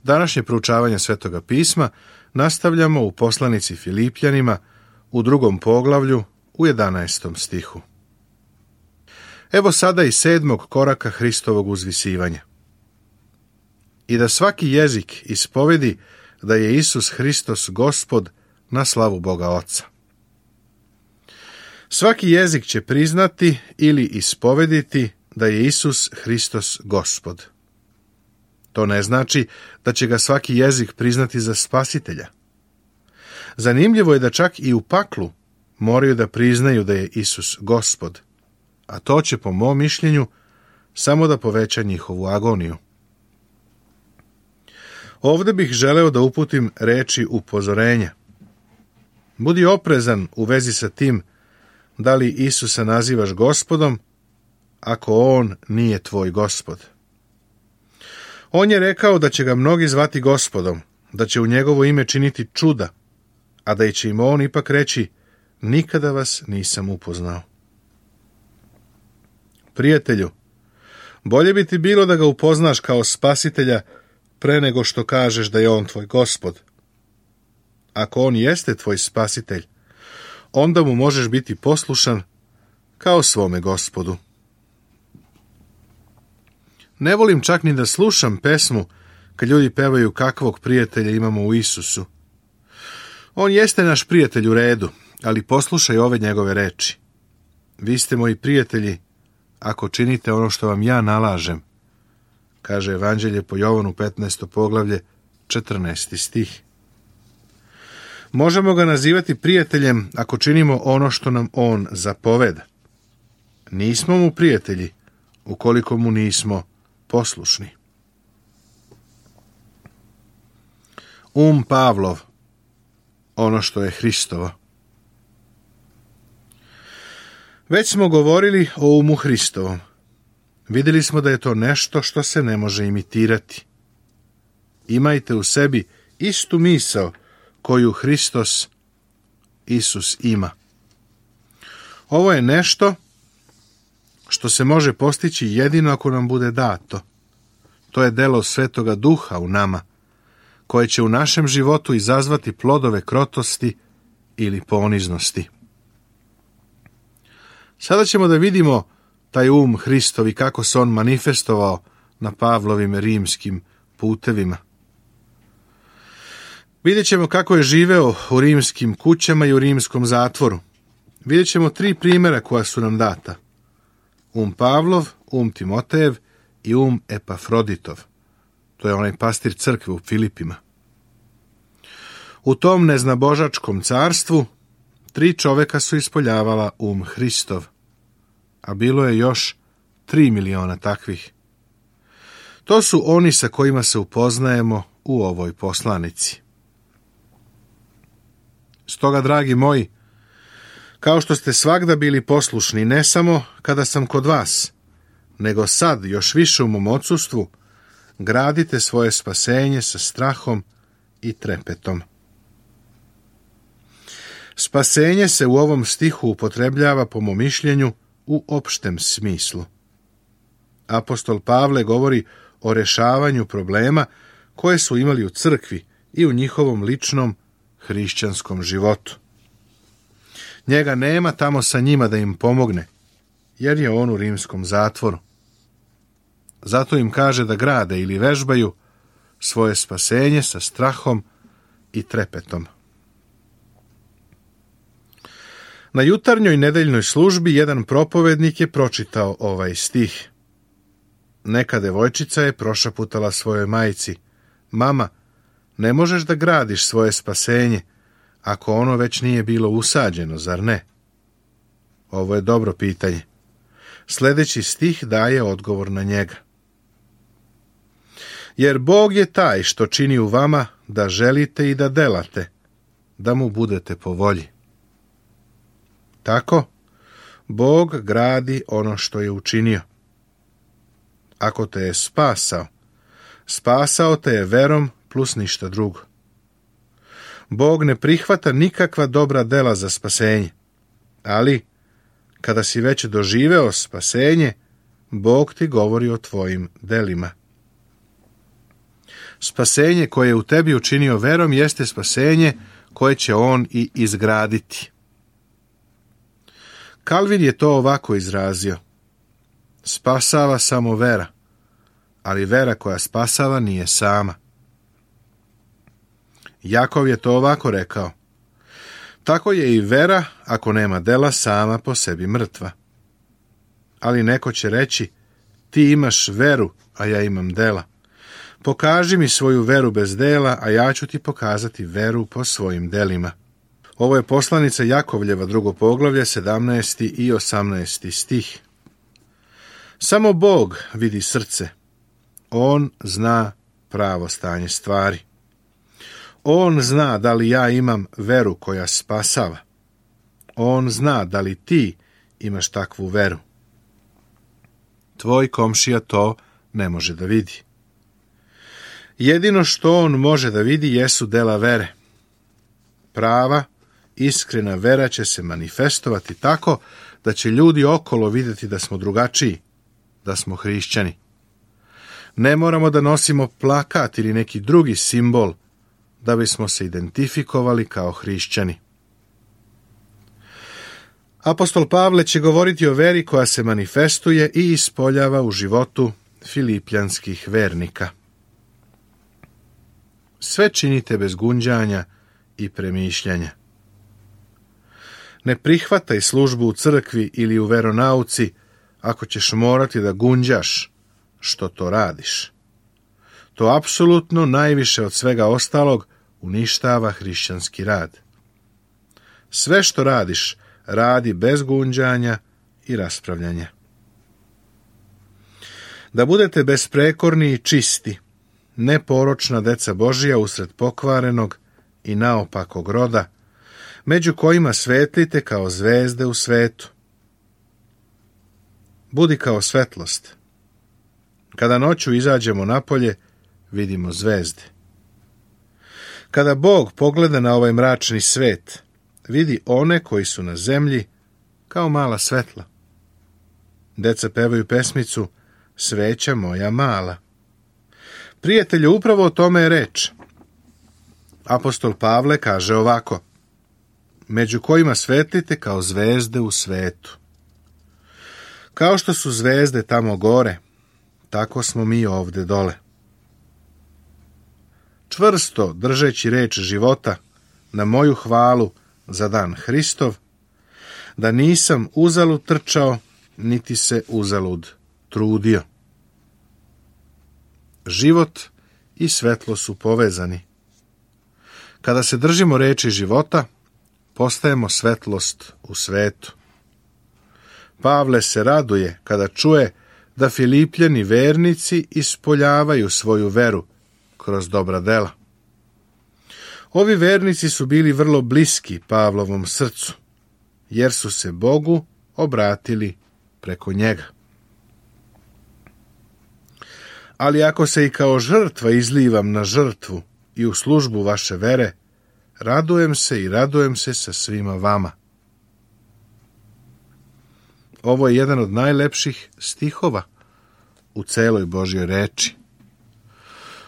Današnje proučavanje Svetoga pisma nastavljamo u poslanici Filipljanima u 2. poglavlju u 11. stihu. Evo sada i 7. koraka Hristovog uzvisivanja. I da svaki jezik ispovedi da je Isus Hristos Gospod na slavu Boga Oca. Svaki jezik će priznati ili ispovediti da je Isus Hristos Gospod. To ne znači da će ga svaki jezik priznati za spasitelja. Zanimljivo je da čak i u paklu moraju da priznaju da je Isus Gospod, a to će, po mom mišljenju, samo da poveća njihovu agoniju. Ovde bih želeo da uputim reči upozorenja. Budi oprezan u vezi sa tim da li Isusa nazivaš Gospodom, ako on nije tvoj Gospod. On je rekao da će ga mnogi zvati Gospodom, da će u njegovo ime činiti čuda, a da će im on ipak reći: nikada vas nisam upoznao. Prijatelju, bolje bi ti bilo da ga upoznaš kao spasitelja pre nego što kažeš da je on tvoj Gospod. Ako on jeste tvoj spasitelj, onda mu možeš biti poslušan kao svome Gospodu. Ne volim čak ni da slušam pesmu kad ljudi pevaju kakvog prijatelja imamo u Isusu. On jeste naš prijatelj u redu, ali poslušaj ove njegove reči. Vi ste moji prijatelji ako činite ono što vam ja nalažem, kaže Evanđelje po Jovanu 15. poglavlje 14. stih. Možemo ga nazivati prijateljem ako činimo ono što nam on zapoveda. Nismo mu prijatelji ukoliko mu nismo poslušni. Pavlov, ono što je Hristovo. Već smo govorili o umu Hristovom. Vidjeli smo da je to nešto što se ne može imitirati. Imajte u sebi istu misao koju Hristos, Isus, ima. Ovo je nešto što se može postići jedino ako nam bude dato. To je delo Svetoga Duha u nama, koje će u našem životu izazvati plodove krotosti ili poniznosti. Sada ćemo da vidimo taj Hristov i kako se on manifestovao na Pavlovim rimskim putevima. Vidjet ćemo kako je živeo u rimskim kućama i u rimskom zatvoru. Vidjet ćemo 3 primjera koja su nam data. Pavlov, Timotejev i Epafroditov. To je onaj pastir crkve u Filipima. U tom neznabožačkom carstvu 3 čoveka su ispoljavala Hristov, a bilo je još 3 miliona takvih. To su oni sa kojima se upoznajemo u ovoj poslanici. Stoga, dragi moji, kao što ste svagda bili poslušni, ne samo kada sam kod vas, nego sad još više u mom odsustvu, gradite svoje spasenje sa strahom i trepetom. Spasenje se u ovom stihu upotrebljava, po mom mišljenju, u opštem smislu. Apostol Pavle govori o rešavanju problema koje su imali u crkvi i u njihovom ličnom hrišćanskom životu. Njega nema tamo sa njima da im pomogne, jer je on u rimskom zatvoru. Zato im kaže da grade ili vežbaju svoje spasenje sa strahom i trepetom. Na jutarnjoj nedeljnoj službi jedan propovednik je pročitao ovaj stih. Neka devojčica je prošaputala svojoj majci: mama, ne možeš da gradiš svoje spasenje ako ono već nije bilo usađeno, zar ne? Ovo je dobro pitanje. Sljedeći stih daje odgovor na njega. Jer Bog je taj što čini u vama da želite i da delate, da mu budete po volji. Tako, Bog gradi ono što je učinio. Ako te je spasao te je verom plus ništa drugo. Bog ne prihvata nikakva dobra dela za spasenje, ali kada si već doživeo spasenje, Bog ti govori o tvojim delima. Spasenje koje je u tebi učinio verom jeste spasenje koje će on i izgraditi. Kalvin je to ovako izrazio: spasava samo vera, ali vera koja spasava nije sama. Jakov je to ovako rekao: tako je i vera, ako nema dela, sama po sebi mrtva. Ali neko će reći: ti imaš veru, a ja imam dela. Pokaži mi svoju veru bez dela, a ja ću ti pokazati veru po svojim delima. Ovo je poslanica Jakovljeva, 2. poglavlje, 17. i 18. stih. Samo Bog vidi srce. On zna pravo stanje stvari. On zna da li ja imam veru koja spasava. On zna da li ti imaš takvu veru. Tvoj komšija to ne može da vidi. Jedino što on može da vidi jesu dela vere. Prava, iskrena vera će se manifestovati tako da će ljudi okolo vidjeti da smo drugačiji, da smo hrišćani. Ne moramo da nosimo plakat ili neki drugi simbol da bismo se identifikovali kao hrišćani. Apostol Pavle će govoriti o veri koja se manifestuje i ispoljava u životu filipljanskih vernika. Sve činite bez gunđanja i premišljanja. Ne prihvataj službu u crkvi ili u veronauci ako ćeš morati da gunđaš što to radiš. To apsolutno najviše od svega ostalog uništava hrišćanski rad. Sve što radiš, radi bez gunđanja i raspravljanja. Da budete besprekorni i čisti, neporočna deca Božija usred pokvarenog i naopakog roda, među kojima svetlite kao zvezde u svetu. Budi kao svetlost. Kada noću izađemo napolje, vidimo zvezde. Kada Bog pogleda na ovaj mračni svet, vidi one koji su na zemlji kao mala svetla. Deca pevaju pesmicu Sveća moja mala. Prijatelju, upravo o tome je reč. Apostol Pavle kaže ovako: među kojima svetlite kao zvezde u svetu. Kao što su zvezde tamo gore, tako smo mi ovde dole. Čvrsto držeći reč života na moju hvalu za dan Hristov, da nisam uzalud trčao, niti se uzalud trudio. Život i svetlo su povezani. Kada se držimo reči života, postajemo svetlost u svetu. Pavle se raduje kada čuje da Filipljani vernici ispoljavaju svoju veru kroz dobra dela. Ovi vernici su bili vrlo bliski Pavlovom srcu, jer su se Bogu obratili preko njega. Ali ako se i kao žrtva izlivam na žrtvu i u službu vaše vere, radujem se i radujem se sa svima vama. Ovo je jedan od najlepših stihova u celoj Božjoj reči.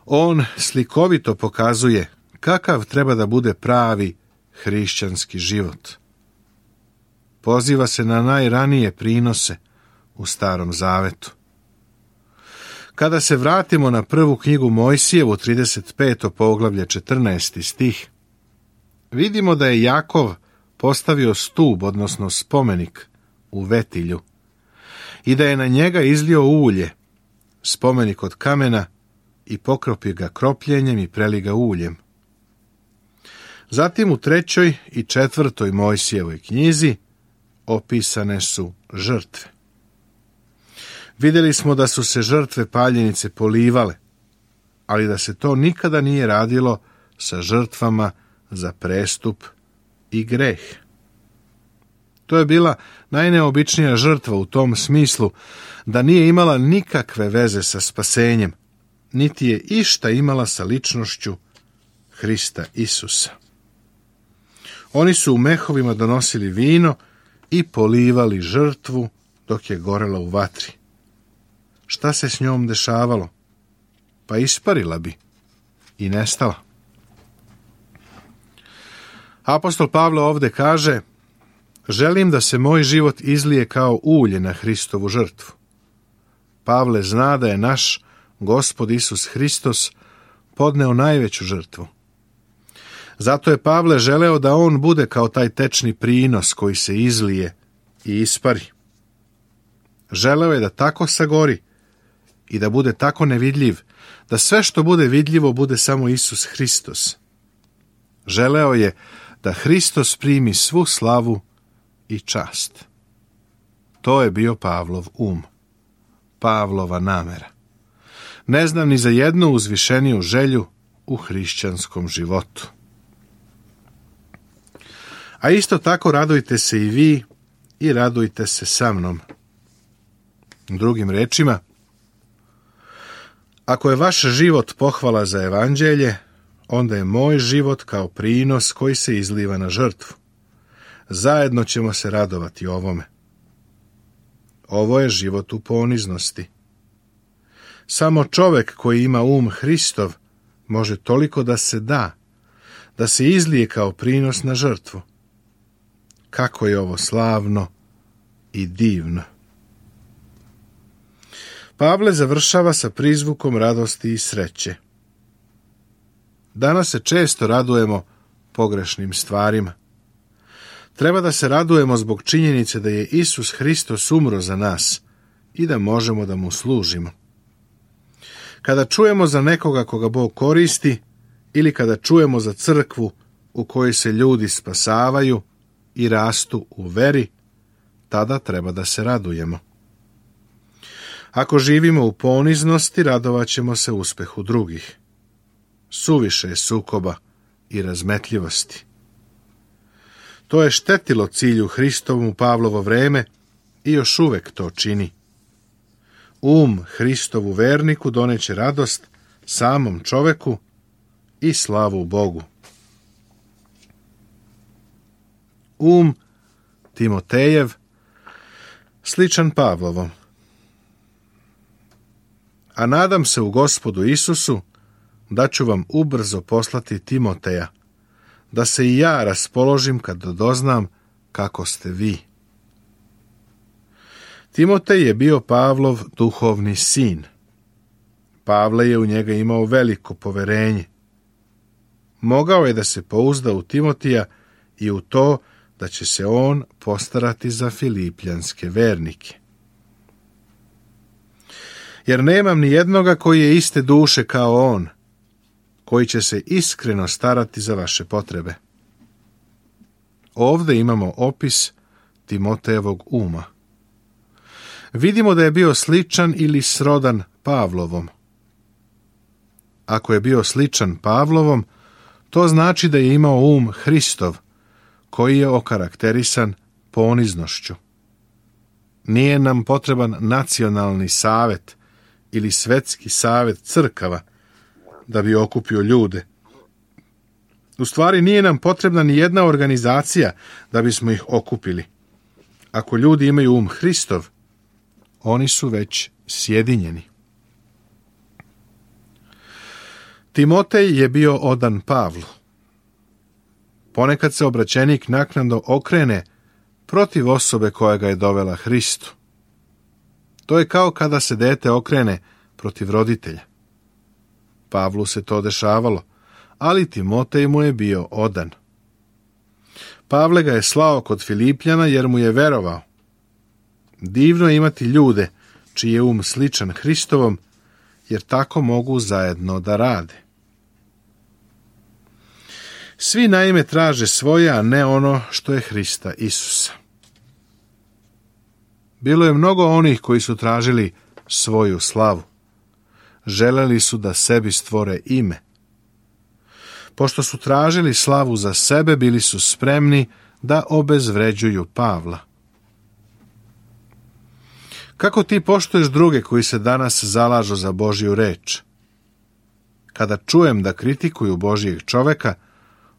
On slikovito pokazuje kakav treba da bude pravi hrišćanski život. Poziva se na najranije prinose u Starom Zavetu. Kada se vratimo na prvu knjigu Mojsijevu, 35. poglavlje, 14. stih, vidimo da je Jakov postavio stub, odnosno spomenik, u Vetilju i da je na njega izlio ulje, spomenik od kamena, i pokropio ga kropljenjem i preli ga uljem. Zatim u 3. i 4. Mojsijevoj knjizi opisane su žrtve. Vidjeli smo da su se žrtve paljenice polivale, ali da se to nikada nije radilo sa žrtvama za prestup i greh. To je bila najneobičnija žrtva u tom smislu da nije imala nikakve veze sa spasenjem, niti je išta imala sa ličnošću Hrista Isusa. Oni su u mehovima donosili vino i polivali žrtvu dok je gorela u vatri. Šta se s njom dešavalo? Pa isparila bi. i nestala. Apostol Pavle ovdje kaže: želim da se moj život izlije kao ulje na Hristovu žrtvu. Pavle zna da je naš Gospod Isus Hristos podneo najveću žrtvu. Zato je Pavle želeo da on bude kao taj tečni prinos koji se izlije i ispari. Želeo je da tako sagori i da bude tako nevidljiv, da sve što bude vidljivo bude samo Isus Hristos. Želeo je da Hristos primi svu slavu i čast. To je bio Pavlov Pavlova namera. Ne znam ni za jednu uzvišeniju želju u hrišćanskom životu. A isto tako radujte se i vi i radujte se sa mnom. Drugim rečima, ako je vaš život pohvala za evanđelje, onda je moj život kao prinos koji se izliva na žrtvu. Zajedno ćemo se radovati ovome. Ovo je život u poniznosti. Samo čovjek koji ima Hristov može toliko da se izlije kao prinos na žrtvu. Kako je ovo slavno i divno. Pavle završava sa prizvukom radosti i sreće. Danas se često radujemo pogrešnim stvarima. Treba da se radujemo zbog činjenice da je Isus Hristos umro za nas i da možemo da mu služimo. Kada čujemo za nekoga koga Bog koristi ili kada čujemo za crkvu u kojoj se ljudi spasavaju i rastu u veri, tada treba da se radujemo. Ako živimo u poniznosti, radovat ćemo se uspehu drugih. Suviše je sukoba i razmetljivosti. To je štetilo cilju Hristovom u Pavlovo vreme i još uvek to čini. Hristovu verniku doneće radost samom čoveku i slavu Bogu. Timotejev, sličan Pavlovom. A nadam se u Gospodu Isusu da ću vam ubrzo poslati Timoteja, da se i ja raspoložim kad doznam kako ste vi. Timotej je bio Pavlov duhovni sin. Pavle je u njega imao veliko poverenje. Mogao je da se pouzda u Timotija i u to da će se on postarati za filipljanske vernike. Jer nemam ni jednoga koji je iste duše kao on, koji će se iskreno starati za vaše potrebe. Ovdje imamo opis Timotejevog uma. Vidimo da je bio sličan ili srodan Pavlovom. Ako je bio sličan Pavlovom, to znači da je imao Hristov, koji je okarakterisan poniznošću. Nije nam potreban nacionalni savet ili svetski savet crkava da bi okupio ljude. U stvari nije nam potrebna ni jedna organizacija da bismo ih okupili. Ako ljudi imaju Hristov, oni su već sjedinjeni. Timotej je bio odan Pavlu. Ponekad se obraćenik naknadno okrene protiv osobe koja ga je dovela Hristu. To je kao kada se dete okrene protiv roditelja. Pavlu se to dešavalo, ali Timotej mu je bio odan. Pavle ga je slao kod Filipljana jer mu je verovao. Divno je imati ljude čiji je sličan Hristovom, jer tako mogu zajedno da rade. Svi naime traže svoje, a ne ono što je Hrista Isusa. Bilo je mnogo onih koji su tražili svoju slavu. Želeli su da sebi stvore ime. Pošto su tražili slavu za sebe, bili su spremni da obezvređuju Pavla. Kako ti poštuješ druge koji se danas zalažu za Božju reč? Kada čujem da kritikuju Božjeg čoveka,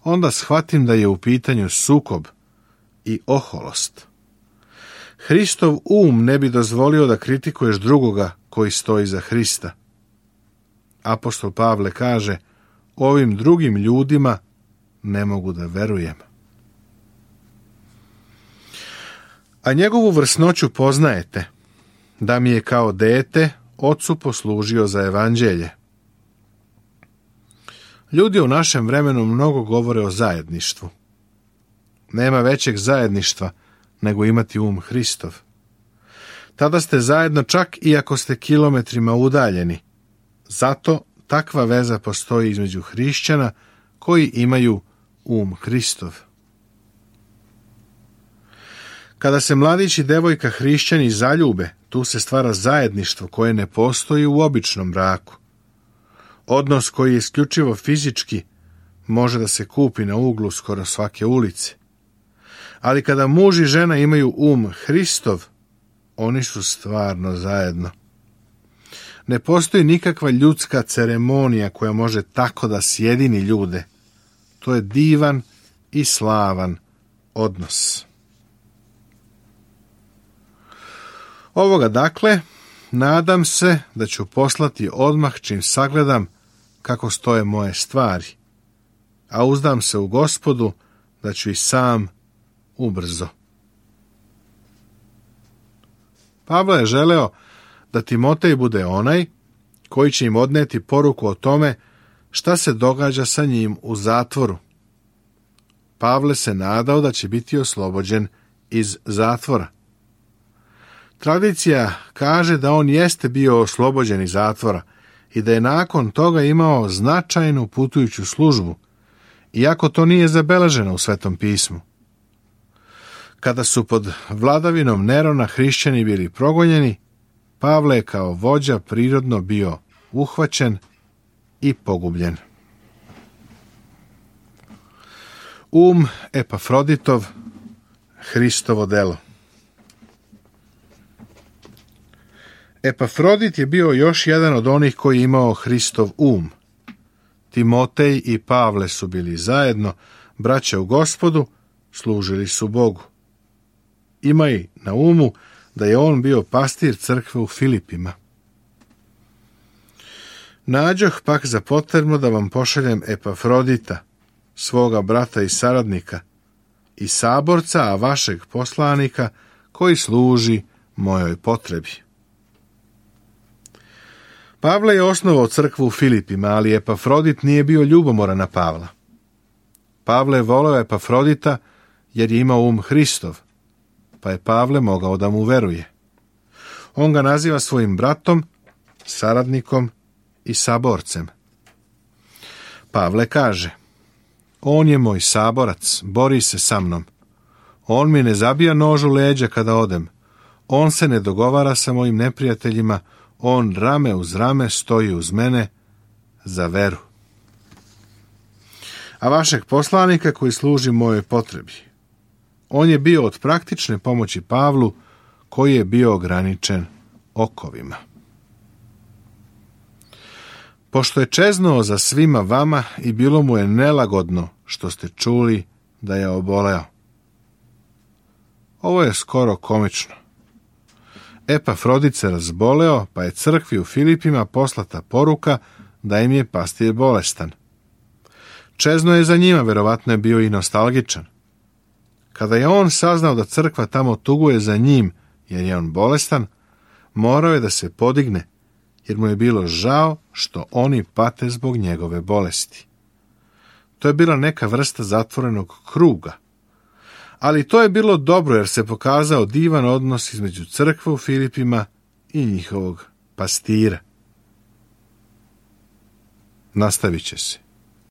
onda shvatim da je u pitanju sukob i oholost. Hristov ne bi dozvolio da kritikuješ drugoga koji stoji za Hrista. Apostol Pavle kaže, ovim drugim ljudima ne mogu da verujem. A njegovu vrsnoću poznajete, da mi je kao dete ocu poslužio za evanđelje. Ljudi u našem vremenu mnogo govore o zajedništvu. Nema većeg zajedništva nego imati Hristov. Tada ste zajedno čak i ako ste kilometrima udaljeni. Zato takva veza postoji između hrišćana koji imaju Hristov. Kada se mladić i devojka hrišćani zaljube, tu se stvara zajedništvo koje ne postoji u običnom braku. Odnos koji je isključivo fizički može da se kupi na uglu skoro svake ulice. Ali kada muž i žena imaju Hristov, oni su stvarno zajedno. Ne postoji nikakva ljudska ceremonija koja može tako da sjedini ljude. To je divan i slavan odnos. Ovoga dakle, nadam se da ću poslati odmah čim sagledam kako stoje moje stvari, a uzdam se u Gospodu da ću i sam ubrzo. Pavle je želeo da Timotej bude onaj koji će im odneti poruku o tome šta se događa sa njim u zatvoru. Pavle se nadao da će biti oslobođen iz zatvora. Tradicija kaže da on jeste bio oslobođen iz zatvora i da je nakon toga imao značajnu putujuću službu, iako to nije zabeleženo u Svetom pismu. Kada su pod vladavinom Nerona hrišćani bili progonjeni, Pavle je kao vođa prirodno bio uhvaćen i pogubljen. Epafroditov, Hristovo delo. Epafrodit je bio još jedan od onih koji je imao Hristov Timotej i Pavle su bili zajedno, braća u Gospodu, služili su Bogu. Imaj na umu da je on bio pastir crkve u Filipima. Nađoh pak za potrebno da vam pošaljem Epafrodita, svoga brata i saradnika, i saborca, a vašeg poslanika, koji služi mojoj potrebi. Pavle je osnovao crkvu u Filipima, ali Epafrodit nije bio ljubomoran na Pavla. Pavle je voleo Epafrodita jer je imao Hristov, pa je Pavle mogao da mu veruje. On ga naziva svojim bratom, saradnikom i saborcem. Pavle kaže: on je moj saborac, bori se sa mnom. On mi ne zabija nož u leđa kada odem. On se ne dogovara sa mojim neprijateljima. On rame uz rame stoji uz mene za veru. A vašeg poslanika koji služi mojoj potrebi. On je bio od praktične pomoći Pavlu, koji je bio ograničen okovima. Pošto je čeznuo za svima vama i bilo mu je nelagodno što ste čuli da je oboleo. Ovo je skoro komično. Epafrodit se razboleo, pa je crkvi u Filipima poslata poruka da im je pastir bolestan. Čezno je za njima, verovatno je bio i nostalgičan. Kada je on saznao da crkva tamo tuguje za njim, jer je on bolestan, morao je da se podigne, jer mu je bilo žao što oni pate zbog njegove bolesti. To je bila neka vrsta zatvorenog kruga. Ali to je bilo dobro jer se pokazao divan odnos između crkve u Filipima i njihovog pastira. Nastavit će se.